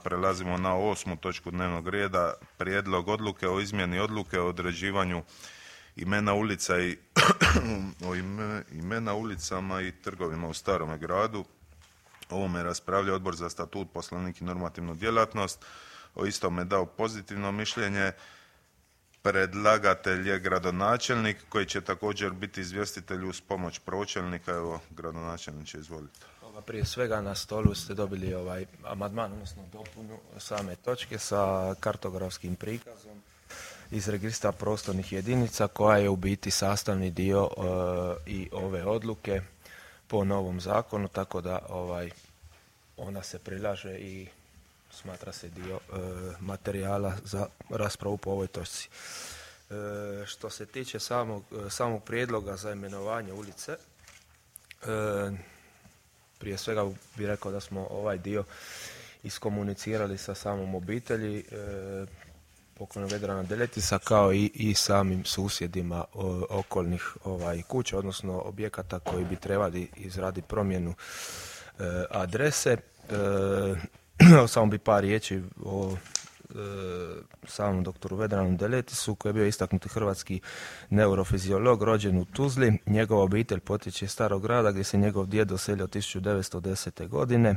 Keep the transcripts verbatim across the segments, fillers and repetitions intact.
prelazimo na osmu točku dnevnog reda, prijedlog odluke o izmjeni odluke o određivanju imena ulica i o ime, imena ulicama i trgovima u Starome gradu. O ovome raspravlja Odbor za statut, poslovnik i normativnu djelatnost. O istome je dao pozitivno mišljenje. Predlagatelj je gradonačelnik koji će također biti izvjestitelj uz pomoć pročelnika. Evo, gradonačelniče, izvolite. Prije svega na stolu ste dobili ovaj amandman, odnosno dopunu same točke sa kartografskim prikazom iz registra prostornih jedinica koja je u biti sastavni dio uh, i ove odluke po novom zakonu, tako da ovaj ona se prilaže i smatra se dio uh, materijala za raspravu po ovoj točci. Uh, što se tiče samog, uh, samog prijedloga za imenovanje ulice, uh, prije svega bih rekao da smo ovaj dio iskomunicirali sa samom obitelji e, pokojnog Vedrana Deletisa kao i, i samim susjedima o, okolnih ovaj, kuća, odnosno objekata koji bi trebali izraditi promjenu e, adrese. E, samo bi par riječi o samom doktoru Vedranu Deletisu, koji je bio istaknuti hrvatski neurofiziolog, rođen u Tuzli. Njegova obitelj potječe iz Starog grada gdje se njegov djed doselio tisuću devetsto desete. godine.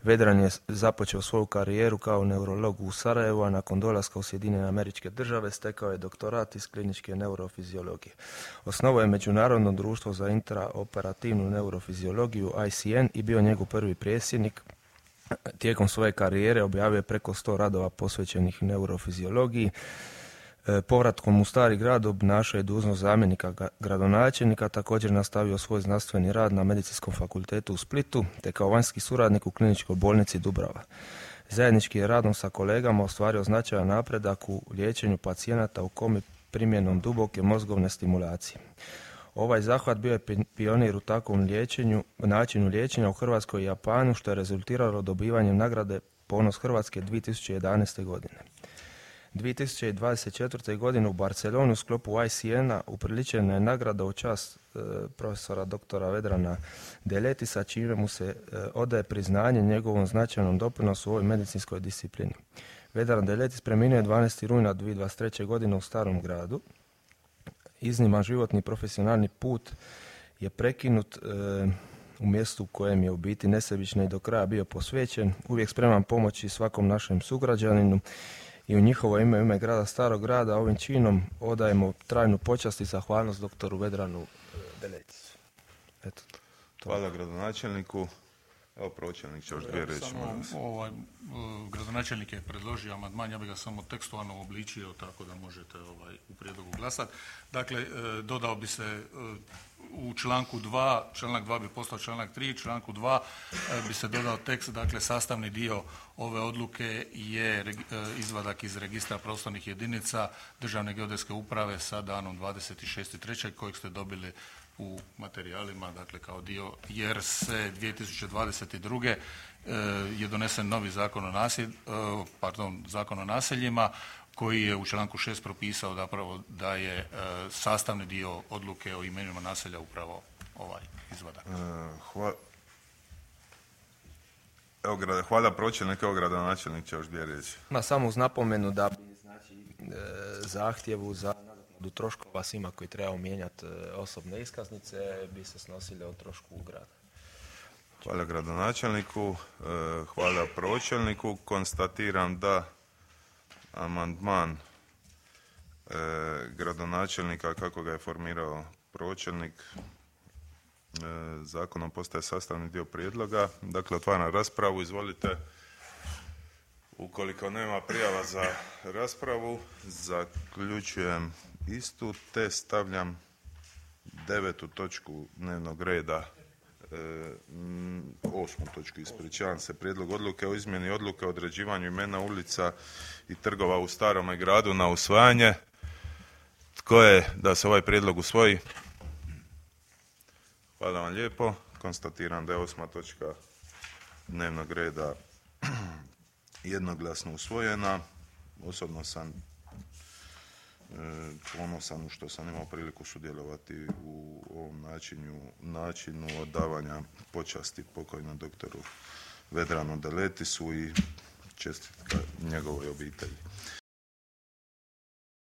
Vedran je započeo svoju karijeru kao neurolog u Sarajevu, a nakon dolaska u Sjedinjene Američke Države stekao je doktorat iz kliničke neurofiziologije. Osnovao je Međunarodno društvo za intraoperativnu neurofiziologiju I C N i bio njegov prvi predsjednik. Tijekom svoje karijere objavio je preko sto radova posvećenih neurofiziologiji. E, povratkom u Stari grad obnašao je dužnost zamjenika gradonačelnika, također nastavio svoj znanstveni rad na Medicinskom fakultetu u Splitu, te kao vanjski suradnik u kliničkoj bolnici Dubrava. Zajednički je radom sa kolegama ostvario značajan napredak u liječenju pacijenata u komi primjenom duboke mozgovne stimulacije. Ovaj zahvat bio je pionir u takvom liječenju, načinu liječenja u Hrvatskoj i Japanu, što je rezultiralo dobivanjem nagrade Ponos Hrvatske dvije tisuće jedanaeste. godine. dvije tisuće dvadeset četvrte. godine u Barceloni u sklopu I C N-a upriličena je nagrada u čast e, profesora doktora Vedrana Deletisa, čime mu se e, odaje priznanje njegovom značajnom doprinosu u ovoj medicinskoj disciplini. Vedran Deletis preminuo je dvanaestog rujna dvije tisuće dvadeset treće. godine u Starom gradu. Izniman životni profesionalni put je prekinut e, u mjestu u kojem je u biti nesebično i do kraja bio posvećen, uvijek spreman pomoći svakom našem sugrađaninu i u njihovo ime, ime grada Starog grada, ovim činom odajemo trajnu počast i zahvalnost doktoru Vedranu e, Deletisu. Eto, to. Hvala gradonačelniku. Evo, pročelnik će još dvije reći. Ovaj, gradonačelnik je predložio amandman, ja bih ga samo tekstualno obličio tako da možete ovaj, u prijedlogu glasati. Dakle, dodao bi se u članku dva, članak dva bi postao članak tri, članku dva bi se dodao tekst, dakle sastavni dio ove odluke je izvadak iz registra prostornih jedinica Državne geodetske uprave sa danom dvadeset šesti treći kojeg ste dobili u materijalima, dakle kao dio, jer se dvije tisuće dvadeset druge. je donesen novi zakon o naselj, pardon, zakon o naseljima koji je u članku šest propisao zapravo da je sastavni dio odluke o imenima naselja upravo ovaj izvadak. Hvala. Evo, hvala pročelnik, evo gradonačelnik će još dvije reći. Ma samo uz napomenu da bi znači, zahtjevu za do troškova svima koji trebaju mijenjati osobne iskaznice bi se snosile od trošku grada. Hvala gradonačelniku, hvala pročelniku. Konstatiram da amandman gradonačelnika kako ga je formirao pročelnik zakonom postaje sastavni dio prijedloga. Dakle, otvaram raspravu, izvolite. Ukoliko nema prijava za raspravu, zaključujem istu te stavljam devetu točku dnevnog reda, e, osmu točku, ispričavam se, prijedlog odluke o izmjeni odluke o određivanju imena ulica i trgova u Starome gradu na usvajanje. Tko je da se ovaj prijedlog usvoji? Hvala vam lijepo. Konstatiram da je osma točka dnevnog reda jednoglasno usvojena. Osobno sam e, ponosan što sam imao priliku sudjelovati u ovom načinu, načinu odavanja počasti pokojnom doktoru Vedranu Deletisu i čestitka njegovoj obitelji.